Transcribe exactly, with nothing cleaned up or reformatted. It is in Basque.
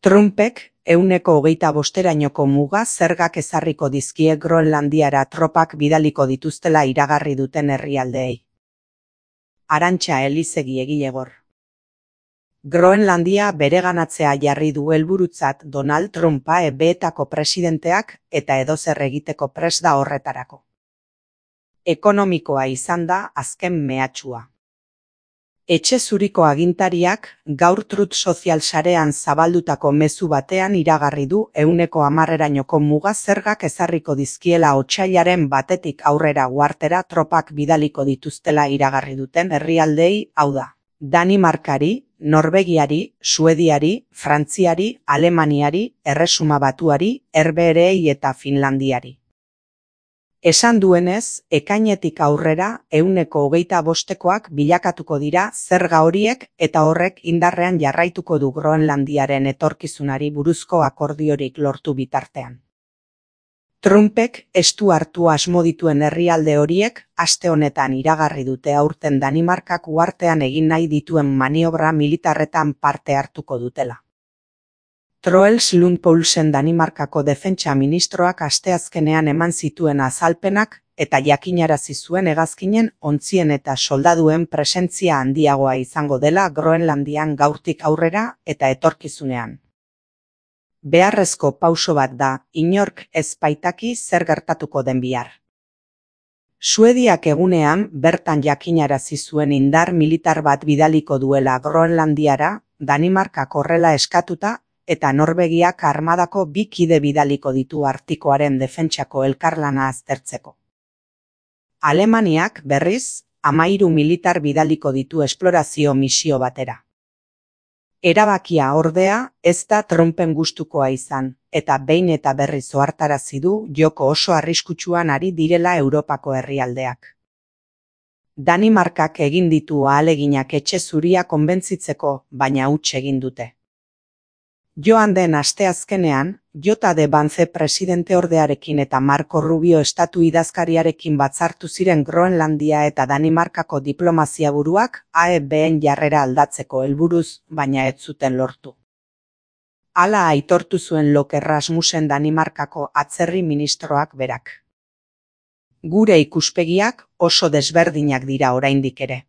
Trumpek ehuneko hogeita bosterainoko muga zergak ezarriko dizkie Groenlandiara tropak bidaliko dituztela iragarri duten herrialdeei. Arantxa Elizegi egilegor. Groenlandia bereganatzea jarri du helburutzat Donald Trumpa E B:etako presidenteak eta edozer egiteko prest da horretarako. Ekonomikoa izan da azken mehatxua. Etxe zuriko agintariak gaur Truth Social sarean zabaldutako mezu batean iragarri du ehuneko hamarerainoko muga zergak ezarriko dizkiela otsailaren batetik aurrera uhartera tropak bidaliko dituztela iragarri duten herrialdeei, hau da, Danimarkari, Norvegiari, Suediari, Frantziari, Alemaniari, Erresuma Batuari, Herbehereei eta Finlandiari. Esan duenez, ekainetik aurrera ehuneko hogeita bostekoak bilakatuko dira zerga horiek eta horrek indarrean jarraituko du Groenlandiaren etorkizunari buruzko akordiorik lortu bitartean. Trumpek estu hartu asmo dituen herrialde horiek aste honetan iragarri dute aurten Danimarkak uhartean egin nahi dituen maniobra militarretan parte hartuko dutela. Troels Lund Poulsen Danimarkako defentsa ministroak asteazkenean eman zituen azalpenak eta jakinarazi zuen hegazkinen ontzien eta soldaduen presentzia handiagoa izango dela Groenlandian gaurtik aurrera eta etorkizunean. Beharrezko pauso bat da, inork ez baitaki zer gertatuko den bihar. Suediak egunean bertan jakinarazi zuen indar militar bat bidaliko duela Groenlandiara, Danimarkak horrela eskatuta, eta Norvegiak armadako bi kide bidaliko ditu Artikoaren defentsako elkarlana aztertzeko. Alemaniak, berriz, hamahiru militar bidaliko ditu esplorazio misio batera. Erabakia ordea ez da Trumpen gustukoa izan, eta behin eta berriz ohartarazi du joko oso arriskutsuan ari direla Europako herrialdeak. Danimarkak egin ditu ahaleginak etxe zuria konbentzitzeko, baina huts egin dute. Joan den asteazkenean, J D Vance presidenteordearekin eta Marco Rubio estatu idazkariarekin batzartu ziren Groenlandia eta Danimarkako diplomazia buruak A E B:en jarrera aldatzeko helburuz, baina ez zuten lortu. Hala aitortu zuen Loke Rasmussen Danimarkako atzerri ministroak berak. Gure ikuspegiak oso desberdinak dira oraindik ere.